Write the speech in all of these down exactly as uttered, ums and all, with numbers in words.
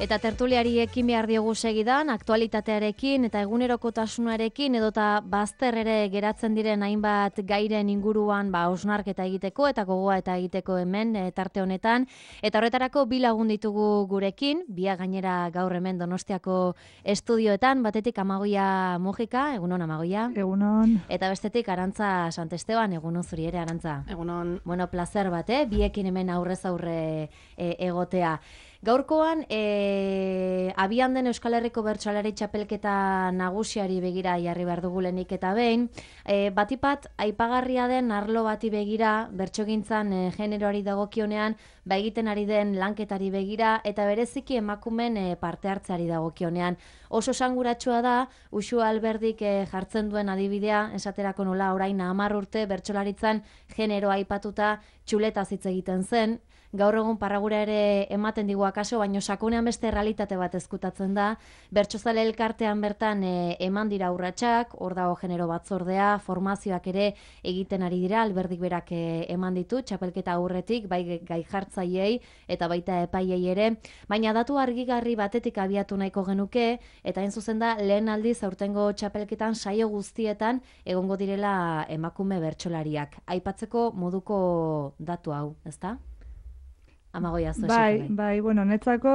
Eta tertuliari ekin behar diogu segidan, aktualitatearekin eta egunerokotasunarekin edota bazter ere geratzen diren hainbat gairen inguruan ba hausnarketa egiteko eta gogoa eta egiteko hemen e, tarte honetan. Eta horretarako bi lagun ditugu gurekin, bia gainera gaur hemen Donostiako estudioetan, batetik Amagoia Mujika, egunon Amagoia. Egunon. Eta bestetik Arantza Santesteban, egunon zuri ere Arantza. Egunon. Bueno, placer bat, eh? Biekin hemen aurrez aurre e, egotea. Gaurkoan, e, abian den Euskal Herriko Bertsolari Txapelketa nagusiari begira jarri behar dugu lehenik eta behin. E, batipat, aipagarria den arlo bati begira, bertsogintzan e, generoari dagokionean, ba egiten ari den lanketari begira, eta bereziki emakumen e, parte hartzeari dagokionean. Oso sanguratsua da, Uxu Alberdik e, jartzen duen adibidea, esaterako nola orain hamar urte bertsolaritzan generoa aipatuta txuletaz hitz egiten zen. Gaur egun parragura ere ematen digu akaso, baino sakonean beste realitate bat ezkutatzen da. Bertsozale elkartean bertan e, eman dira urratsak, hor dago genero batzordea, formazioak ere egiten ari dira, Alberdik berak e, eman ditu, txapelketa aurretik, bai gai jartzaiei eta baita epaiei ere. Baina datu argigarri batetik abiatu nahiko genuke, eta hain zuzen da lehen aldiz aurtengo txapelketan saio guztietan egongo direla emakume bertsolariak. Aipatzeko moduko datu hau, ezta? Amagoia zu Bai, bai, bueno, netzako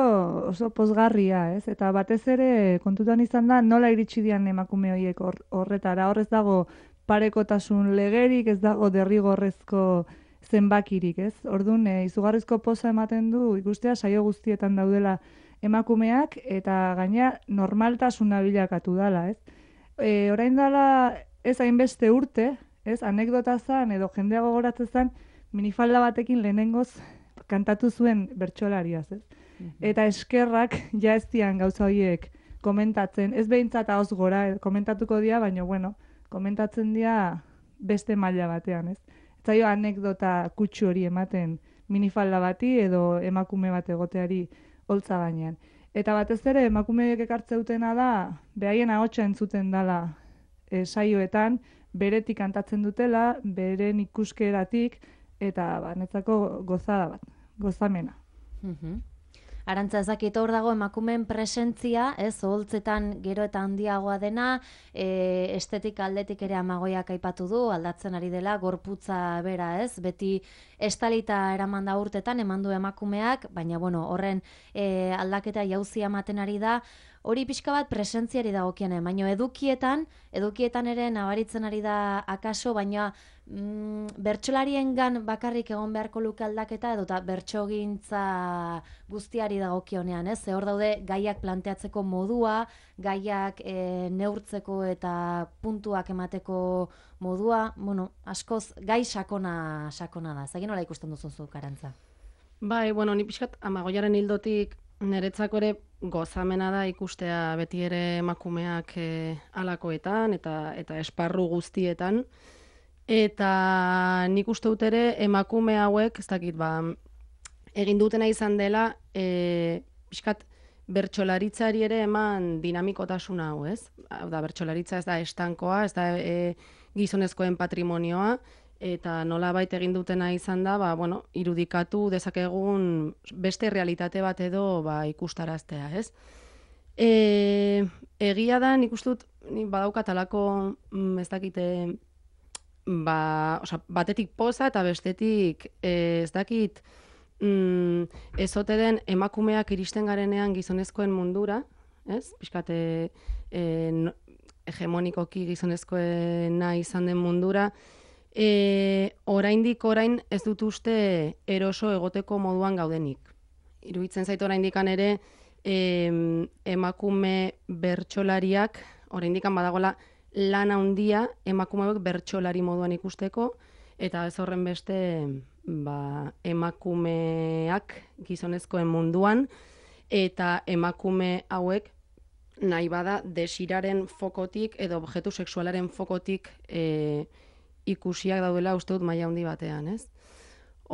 oso pozgarria, ez? Eta batez ere kontutan izan da nola iritsi dian emakume horiek hor, horretara. Hor ez dago parekotasun legerik, ez dago derrigorrezko zenbakirik, ez? Orduan, e, izugarrizko poza ematen du ikustea saio guztietan daudela emakumeak eta gaina normaltasuna bilakatu dala, ez? E, orain dela ez hainbeste urte, ez? Anekdota zan edo jendea gogoratzen zan minifalda batekin lehenengoz kantatu zuen bertsolariaz, ez? Mm-hmm. Eta eskerrak ja ez dian gauza horiek komentatzen, ez behintzat ahoz gora komentatuko dira, baina bueno, komentatzen dira beste maila batean, ez? Eta jo anekdota kutsu hori ematen minifalda bati edo emakume bat egoteari holtza gainean. Eta batez ere emakumeek ekartze dutena da, behaien ahotsa entzuten dala e, saioetan, beretik kantatzen dutela, beren ikuskeratik, eta ba, netzako gozada bat. Gozamena. Mhm. Arantza, ez dakit hor dago emakumeen presentzia, ez, oholtzetan gero eta handiagoa dena, e, estetik aldetik ere Amagoiak aipatu du, aldatzen ari dela, gorputza bera, ez, beti estalita eraman da urtetan, eman du emakumeak, baina, bueno, horren e, aldaketa jauzia ematen ari da, hori pixka bat presentziari dagokiene, baina edukietan, edukietan ere nabaritzen ari da akaso, baina mm, bertsolariengan bakarrik egon beharko luke aldaketa, edota bertsogintza guztiari dagokionean, ez? Ze hor daude gaiak planteatzeko modua, gaiak e, neurtzeko eta puntuak emateko modua, bueno, askoz gai sakona sakona da. Zagin nola ikusten duzu zu, Arantza? Bai, bueno, ni pixkat Amagoiaren hildotik niretzako ere gozamena da ikustea beti ere emakumeak e, alakoetan eta eta esparru guztietan. Eta nik uste dut ere emakume hauek, ez dakit, ba, egin dutena izan dela, e, pixkat bertsolaritzari ere eman dinamikotasun hau, ez? Hau da, bertsolaritza ez da estankoa, ez da e, gizonezkoen patrimonioa, eta nolabait egin dutena izan da, ba, bueno, irudikatu dezakegun beste realitate bat edo ba, ikustaraztea, ez? E, egia da, nik uste dut, badaukat alako, mm, ez dakite, ba, oza, batetik poza eta bestetik, e, ez dakit, mm, ezote den emakumeak iristen garenean gizonezkoen mundura, ez? Pixkate, e, no, hegemonikoki gizonezkoena izan den mundura, E, oraindik orain ez dut uste eroso egoteko moduan gaudenik. Iruditzen zait oraindikan ere e, emakume bertsolariak, oraindikan badagola lan handia emakumeek bertsolari moduan ikusteko, eta ez horren beste ba, emakumeak gizonezkoen munduan, eta emakume hauek nahi bada desiraren fokotik edo objektu sexualaren fokotik e, ikusiak daudela uste dut maila handi batean, ez?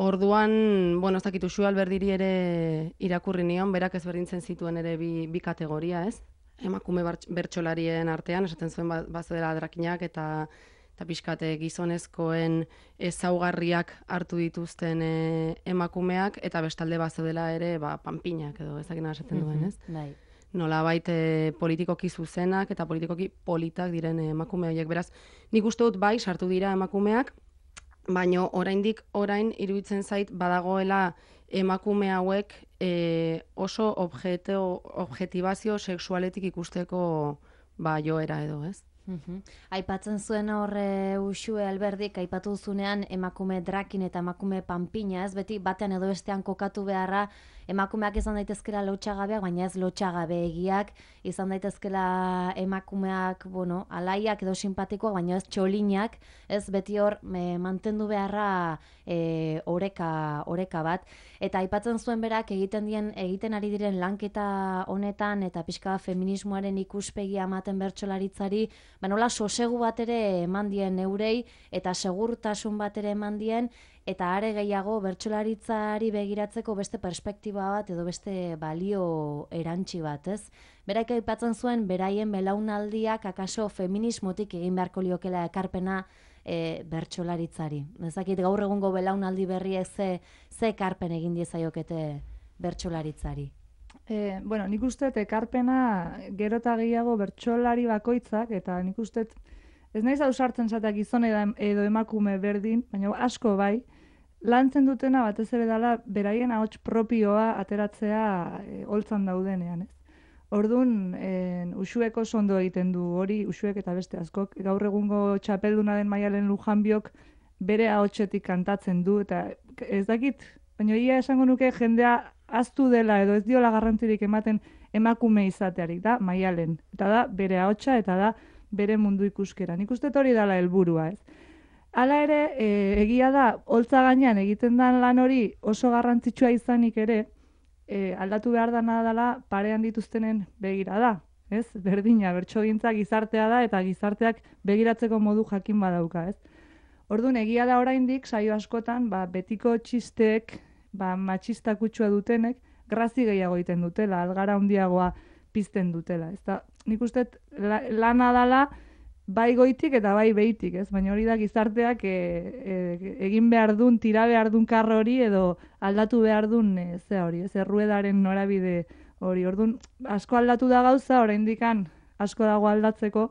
Orduan, bueno, ez dakit Uxu Alberdiri ere irakurri nion, berak ezberdintzen zituen ere bi, bi kategoria, ez? Emakume bertsolarien artean, esaten zuen bazo dela drakinak eta eta pixkate gizonezkoen ezaugarriak hartu dituzten e, emakumeak, eta bestalde bazeudela ere ba, panpinak edo ezakina esaten duen, ez? Bai. Nolabait e, politikoki zuzenak eta politikoki politak diren emakume horiek. Beraz, nik uste dut bai sartu dira emakumeak, baino oraindik orain iruditzen zait badagoela emakume hauek e, oso objeto, objetibazio sexualetik ikusteko ba, joera edo, ez? Uhum. Aipatzen zuen horre Uxue Alberdik, aipatu zunean emakume drakin eta emakume panpina, ez beti batean edo bestean kokatu beharra, emakumeak izan daitezkela lotxagabeak, baina ez lotxagabeegiak, izan daitezkela emakumeak, bueno, alaiak edo simpatikoak, baina ez txolinak, ez beti hor me, mantendu beharra e, oreka, oreka bat. Eta aipatzen zuen berak egiten dien egiten ari diren lanketa honetan eta pixka feminismoaren ikuspegia ematen bertsolaritzari, ba nola sosegu bat ere eman dien eurei eta segurtasun bat ere eman dien, eta are gehiago bertsolaritzari begiratzeko beste perspektiba bat edo beste balio erantsi bat, ez? Berak aipatzen zuen beraien belaunaldiak akaso feminismotik egin beharko liokela ekarpena e, bertsolaritzari. Ezakit gaur egungo belaunaldi berriek ze, ze ekarpen egin diezaiokete bertsolaritzari. E, bueno, nik uste ekarpena gero eta gehiago bertsolari bakoitzak, eta nik uste ez naiz ausartzen zateak gizon edo emakume berdin, baina asko bai, lantzen dutena batez ere dela beraien ahots propioa ateratzea e, holtzan daudenean, ez? Orduan, e, Uxuek oso ondo egiten du hori, Uxuek eta beste askok, gaur egungo txapelduna den Maialen Lujanbiok bere ahotsetik kantatzen du, eta ez dakit, baina ia esango nuke jendea aztu dela edo ez diola garrantzirik ematen emakume izatearik, da Maialen, eta da bere ahotsa eta da bere mundu ikuskera. Nik uste hori dela helburua, ez? Hala ere, e, egia da, holtza gainean egiten den lan hori oso garrantzitsua izanik ere, e, aldatu behar dana dela parean dituztenen begira da, ez? Berdina, bertsogintza gizartea da eta gizarteak begiratzeko modu jakin badauka, ez? Orduan, egia da oraindik saio askotan, ba, betiko txisteek, ba, matxista kutsua dutenek, grazi gehiago egiten dutela, algara handiagoa pizten dutela. Ez da, nik uste la, lana dala bai goitik eta bai behitik, ez? Baina hori da gizarteak e, e, egin behar dun, tira behar dun karro hori edo aldatu behar dun e, ze hori, ez? Erruedaren norabide hori. Orduan, asko aldatu da gauza, oraindikan asko dago aldatzeko,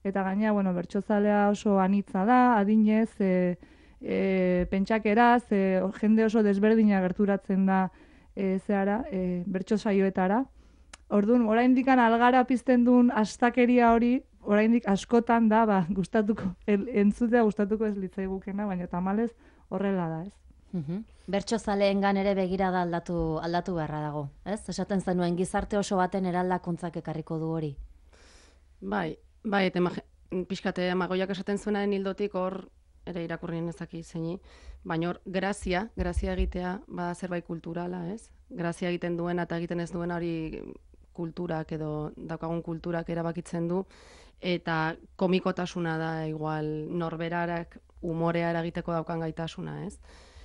eta gaina, bueno, bertsozalea oso anitza da, adinez, e, e, pentsakeraz, e, jende oso desberdina gerturatzen da e, zehara, e, bertso saioetara. Orduan, oraindikan algara pizten duen astakeria hori, oraindik askotan da, ba, gustatuko, el, entzutea gustatuko ez litzaigukena, baina tamalez horrela da, ez? Uhum. Bertsozaleengan ere begirada aldatu, aldatu beharra dago, ez? Esaten zenuen gizarte oso baten eraldakuntzak ekarriko du hori. Bai, bai, eta pixkate amagoiak esaten zuenaren hildotik hor ere irakurrien ezaki zeini, baina hor grazia, grazia egitea bada zerbait kulturala, ez? Grazia egiten duena eta egiten ez duena hori kulturak edo daukagun kulturak erabakitzen du, eta komikotasuna da igual norberarak umorea eragiteko daukan gaitasuna, ez?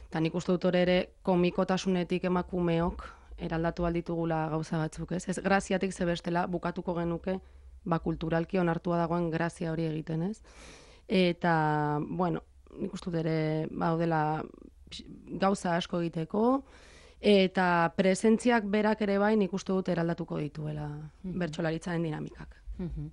Eta nik uste dut hori ere komikotasunetik emakumeok eraldatu alditugula gauza batzuk, ez? Ez graziatik zebestela bukatuko genuke ba kulturalki onartua dagoen grazia hori egiten, ez? Eta, bueno, nik uste dut ere baudela gauza asko egiteko, eta presentziak berak ere bai nik uste dut eraldatuko dituela mm-hmm. bertsolaritzaren dinamikak. Mm-hmm.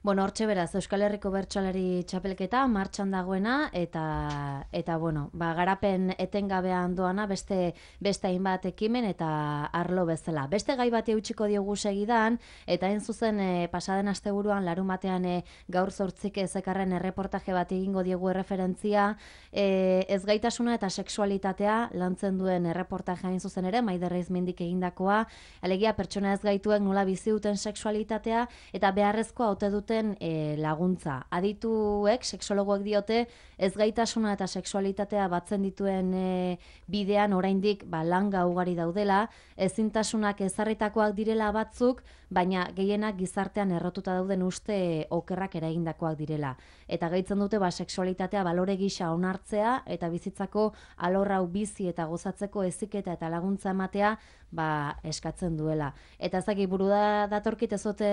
Bueno, hortxe beraz, Euskal Herriko bertsolari txapelketa martxan dagoena, eta, eta bueno, ba, garapen etengabean doana beste, beste hainbat ekimen eta arlo bezala. Beste gai bati eutxiko diogu segidan, eta hain zuzen e, pasaden asteburuan larun batean e, gaur zortzik ezekarren erreportaje bat egingo diogu erreferentzia, e, ezgaitasuna eta sexualitatea lantzen duen erreportaje hain zuzen ere, Maider Reizmendik egindakoa, alegia pertsona ezgaituek nola bizi duten sexualitatea, eta beharrezkoa ote duten E, laguntza. Adituek, sexologoek diote, ezgaitasuna eta sexualitatea batzen dituen e, bidean oraindik ba, langa ugari daudela, ezintasunak ezarritakoak direla batzuk, baina gehienak gizartean errotuta dauden uste okerrak eragindakoak direla. Eta gaitzen dute ba, sexualitatea balore gisa onartzea eta bizitzako alor hau bizi eta gozatzeko heziketa eta laguntza ematea ba, eskatzen duela. Eta ezagik buru da datorkit ezote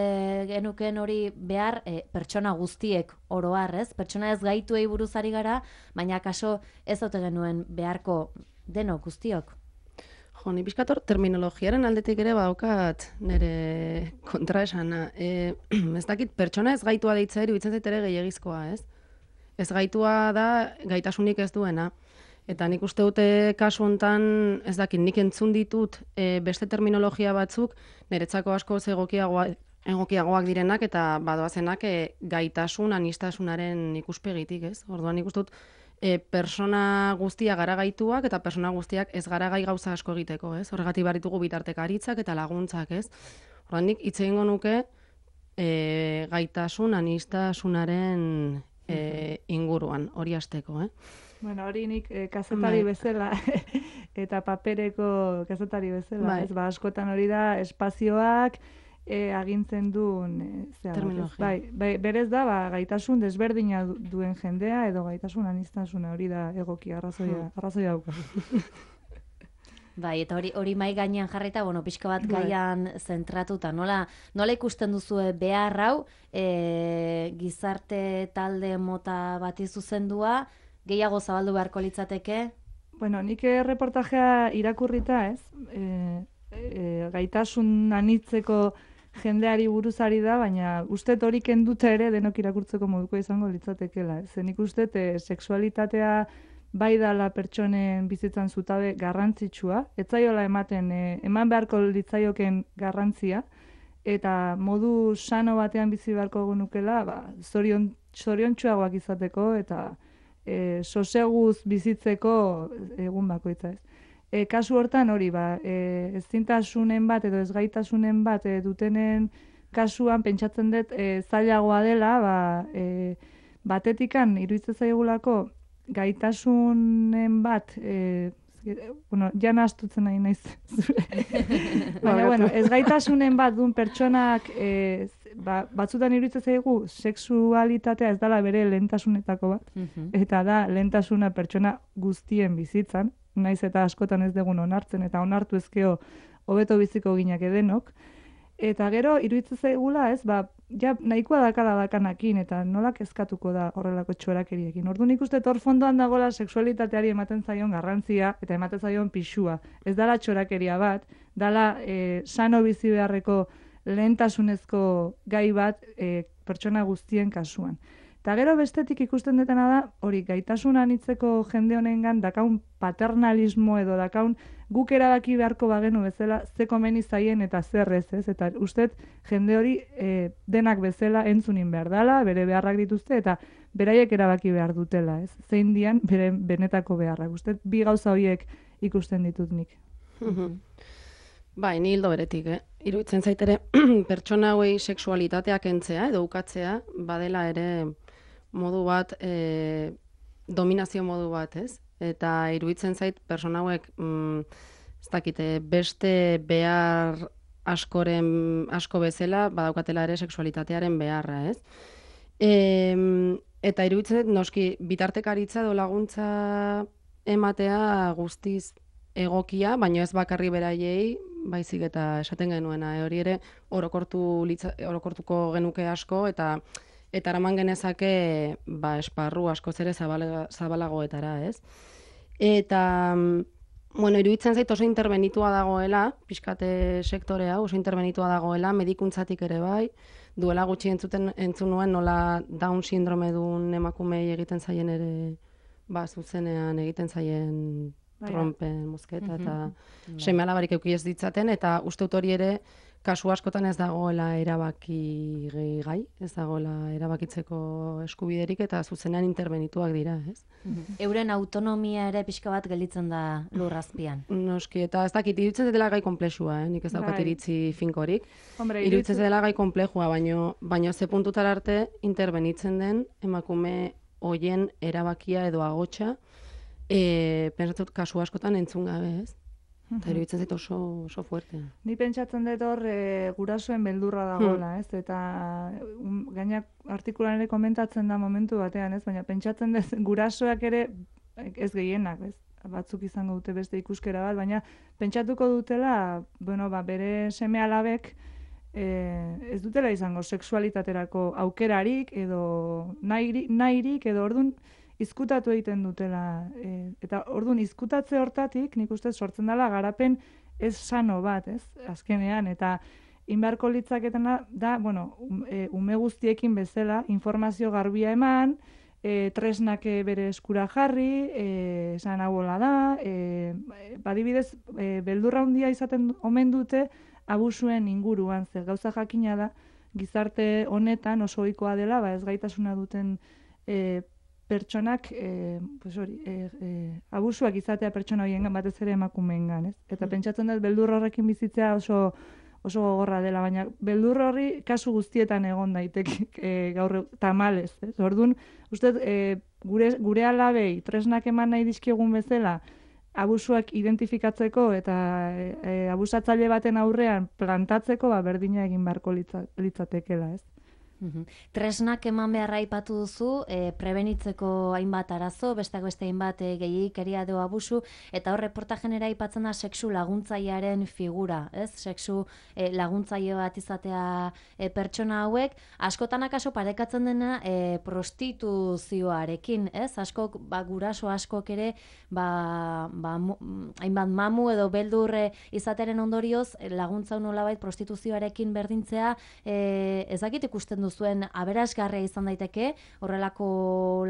genuken hori behar behar e, pertsona guztiek oroar, ez? Pertsona ez gaituei buruz ari gara, baina kaso ez ote genuen beharko denok guztiok. Jo, ni pixkator terminologiaren aldetik ere badaukat nire kontraesana. E, ez dakit, pertsona ez gaitua deitzea iruditzen zait ere gehiagizkoa, ez? Ez gaitua da gaitasunik ez duena. Eta nik uste dute kasu hontan, ez dakit, nik entzun ditut e, beste terminologia batzuk, niretzako asko egokiagoa, egokiagoak direnak eta badoazenak e, gaitasun, anistasunaren ikuspegitik, ez? Orduan nik uste dut e, persona guztia gara gaituak eta persona guztiak ez gara gai gauza asko egiteko, ez? Horregatik baritugu bitartekaritzak eta laguntzak, ez? Orduan nik hitz egingo nuke e, gaitasun, anistasunaren e, inguruan, hori hasteko, eh? Bueno, hori nik eh, kazetari bezala eta papereko kazetari bezala, bai. Ez, ba, askotan hori da espazioak eh, agintzen duen eh, zera, terminologia. Bai, bai, berez da, ba, gaitasun desberdina du- duen jendea edo gaitasun anistasuna hori da egoki arrazoia, arrazoia dauka. Bai, eta hori hori mai gainean jarrita, bueno, pixka bat Bai. gaian zentratuta. Nola, nola ikusten duzue behar hau e, gizarte talde mota bati zuzendua, gehiago zabaldu beharko litzateke? Bueno, nik eh, reportajea irakurrita, ez? E, e, gaitasun anitzeko jendeari buruzari da, baina uste hori kenduta ere denok irakurtzeko moduko izango litzatekela. Ez? Nik uste e, sexualitatea bai dala pertsonen bizitzan zutabe garrantzitsua, ez zaiola ematen, e, eman beharko litzaioken garrantzia, eta modu sano batean bizi beharko genukela, ba, zorion, zoriontsuagoak izateko, eta e, soseguz bizitzeko egun bakoitza, ez. E, kasu hortan hori, ba, e, ezintasunen bat edo ezgaitasunen bat e, dutenen kasuan pentsatzen dut e, zailagoa dela, ba, e, batetikan iruditzen zaigulako gaitasunen bat, e, bueno, jana astutzen nahi naiz. Baina, bueno, ez gaitasunen bat duen pertsonak e, ba, batzutan iruditzen zaigu sexualitatea ez dela bere lehentasunetako bat, eta da lehentasuna pertsona guztien bizitzan, naiz eta askotan ez dugun onartzen, eta onartu ezkeo hobeto biziko ginak edenok, eta gero iruditzen zaigula, ez, ba, ja nahikoa dakala dakanakin, eta nola kezkatuko da horrelako txorakeriekin. Orduan ikuste hor fondoan dagoela sexualitateari ematen zaion garrantzia, eta ematen zaion pixua. Ez dala txorakeria bat, dala e, sano bizi beharreko lehentasunezko gai bat e, pertsona guztien kasuan. Eta gero bestetik ikusten detena da, hori gaitasun anitzeko jende honengan dakaun paternalismo edo dakaun guk erabaki beharko bagenu bezala ze komeni zaien eta zer ez, ez? Eta ustez jende hori e, denak bezala entzunin behar dela, bere beharrak dituzte eta beraiek erabaki behar dutela, ez? Zein dian bere benetako beharrak. Ustez bi gauza horiek ikusten ditut nik. Bai, ni hildo beretik, eh? Iruditzen zaitere pertsona hauei sexualitatea kentzea edo ukatzea badela ere modu bat, e, dominazio modu bat, ez? Eta iruditzen zait pertsona hauek, mm, ez dakite, beste behar askoren asko bezala badaukatela ere sexualitatearen beharra, ez? E, eta iruditzen zait noski bitartekaritza edo laguntza ematea guztiz egokia, baina ez bakarri beraiei, baizik eta esaten genuena, e, hori ere orokortu litza, orokortuko genuke asko eta eta eraman genezake ba, esparru askoz ere zabala, zabalagoetara, ez? Eta, bueno, iruditzen zait oso interbenitua dagoela, pixkate sektore hau, oso interbenitua dagoela, medikuntzatik ere bai, duela gutxi entzuten entzun nuen nola Down sindrome duen emakumei egiten zaien ere, ba, zuzenean egiten zaien trompen mozketa eta seme alabarik eduki ez ditzaten, eta uste dut hori ere kasu askotan ez dagoela erabaki gai, ez dagoela erabakitzeko eskubiderik eta zuzenean interbenituak dira, ez? Euren autonomia ere pixka bat gelditzen da lurrazpian. Noski, eta ez dakit, iruditzen dela gai komplexua, eh? Nik ez daukat Bai. iritzi finkorik. Hombre, Iruditzen dela gai komplexua, baino, baino ze puntutara arte interbenitzen den emakume hoien erabakia edo agotxa, e, pensatzen dut kasu askotan entzun gabe, ez? Eta iruditzen zait oso, oso fuerte. Ni pentsatzen dut hor e, gurasoen beldurra dagoela, ez? Eta um, gainak artikulan ere komentatzen da momentu batean, ez? Baina pentsatzen dut gurasoak ere ez gehienak, ez? Batzuk izango dute beste ikuskera bat, baina pentsatuko dutela, bueno, ba, bere seme alabek e, ez dutela izango sexualitaterako aukerarik edo nahirik, nahirik edo ordun izkutatu egiten dutela. E, eta ordun izkutatze hortatik nik uste sortzen dela garapen ez sano bat, ez? Azkenean, eta inbarko litzaketena da, bueno, e, ume guztiekin bezala informazio garbia eman, e, tresnak bere eskura jarri, e, esan hauola da, e, badibidez, e, beldurra handia izaten omen dute abusuen inguruan, zer gauza jakina da, gizarte honetan oso ohikoa dela, ba, ez gaitasuna duten e, pertsonak, e, pues hori, e, e, abusuak izatea pertsona horiengan, batez ere emakumeengan, ez? Eta pentsatzen dut beldur horrekin bizitzea oso oso gogorra dela, baina beldur horri kasu guztietan egon daiteke e, gaur tamalez, ez? Orduan, uste e, gure, gure alabei tresnak eman nahi dizkiegun bezala, abusuak identifikatzeko eta e, e, abusatzaile baten aurrean plantatzeko, ba, berdina egin beharko litza, litzatekela, ez? Uhum. Tresnak eman beharra aipatu duzu, e, prebenitzeko hainbat arazo, besteak beste hainbat e, gehiikeria edo abusu, eta hor reportajenera aipatzen da sexu laguntzailearen figura, ez? Sexu e, laguntzaile bat izatea e, pertsona hauek, askotan akaso parekatzen dena e, prostituzioarekin, ez? Askok, ba, guraso askok ere, ba, ba, mu, hainbat mamu edo beldurre izateren ondorioz, laguntza nolabait prostituzioarekin berdintzea, e, ezakit ikusten duzuen aberasgarria izan daiteke, horrelako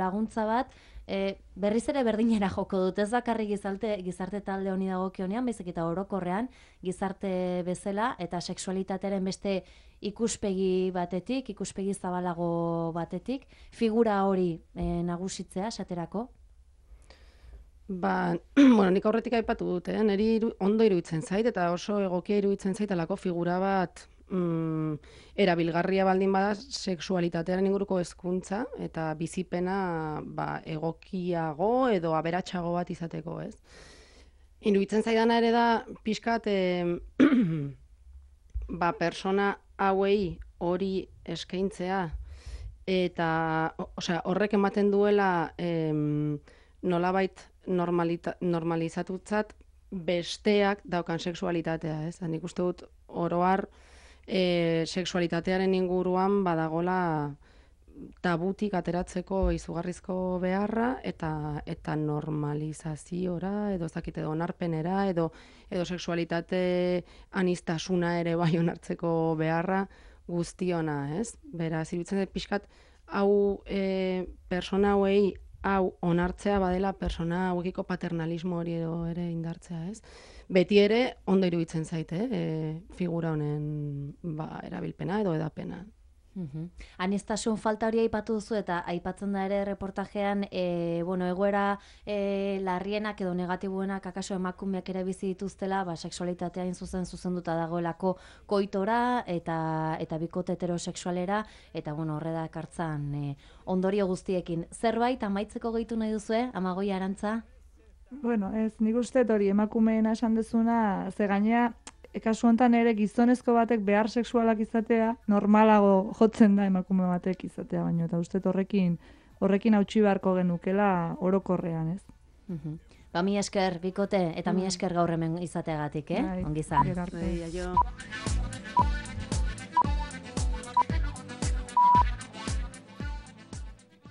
laguntza bat, e, berriz ere berdinera joko dut, ez bakarrik gizarte, gizarte talde honi dagokionean, baizik eta orokorrean, gizarte bezala, eta sexualitatearen beste ikuspegi batetik, ikuspegi zabalago batetik, figura hori e, nagusitzea, esaterako? Ba, bueno, nik aurretik aipatu dut, eh? Neri iru, ondo iruditzen zait, eta oso egokia iruditzen zait alako figura bat mm, erabilgarria baldin bada sexualitatearen inguruko hezkuntza eta bizipena ba, egokiago edo aberatsago bat izateko, ez? Iruditzen zaidana ere da pixkat eh, ba, persona hauei hori eskaintzea eta osea, horrek ematen duela em, nolabait normalita, normalizatutzat besteak daukan sexualitatea, ez? Nik uste dut oroar e, sexualitatearen inguruan badagola tabutik ateratzeko izugarrizko beharra eta eta normalizaziora edo ezakite edo onarpenera edo edo sexualitate anistasuna ere bai onartzeko beharra guztiona, ez? Beraz, iruditzen dut pixkat hau e, persona hauei hau onartzea badela persona hauekiko paternalismo hori edo ere indartzea, ez? Beti ere ondo iruditzen zaite, eh, figura honen ba, erabilpena edo edapena. Uhum. Anistasun falta hori aipatu duzu eta aipatzen da ere reportajean e, bueno, egoera e, larrienak edo negatibuenak akaso emakumeak ere bizi dituztela, ba, sexualitatea zuzen zuzenduta dagoelako koitora eta eta bikote heterosexualera eta bueno, horre da ekartzan e, ondorio guztiekin. Zerbait amaitzeko gehitu nahi duzue, Amagoi Arantza? Bueno, ez, nik uste hori emakumeena esan dezuna, ze gainea kasu honetan ere gizonezko batek behar sexualak izatea normalago jotzen da emakume batek izatea baino eta uste horrekin horrekin hautsi beharko genukela orokorrean, ez? Mhm. Ba, mi esker bikote eta mi esker gaur hemen izateagatik, eh? Bai, Ongi izan. gero arte. Bai, aio.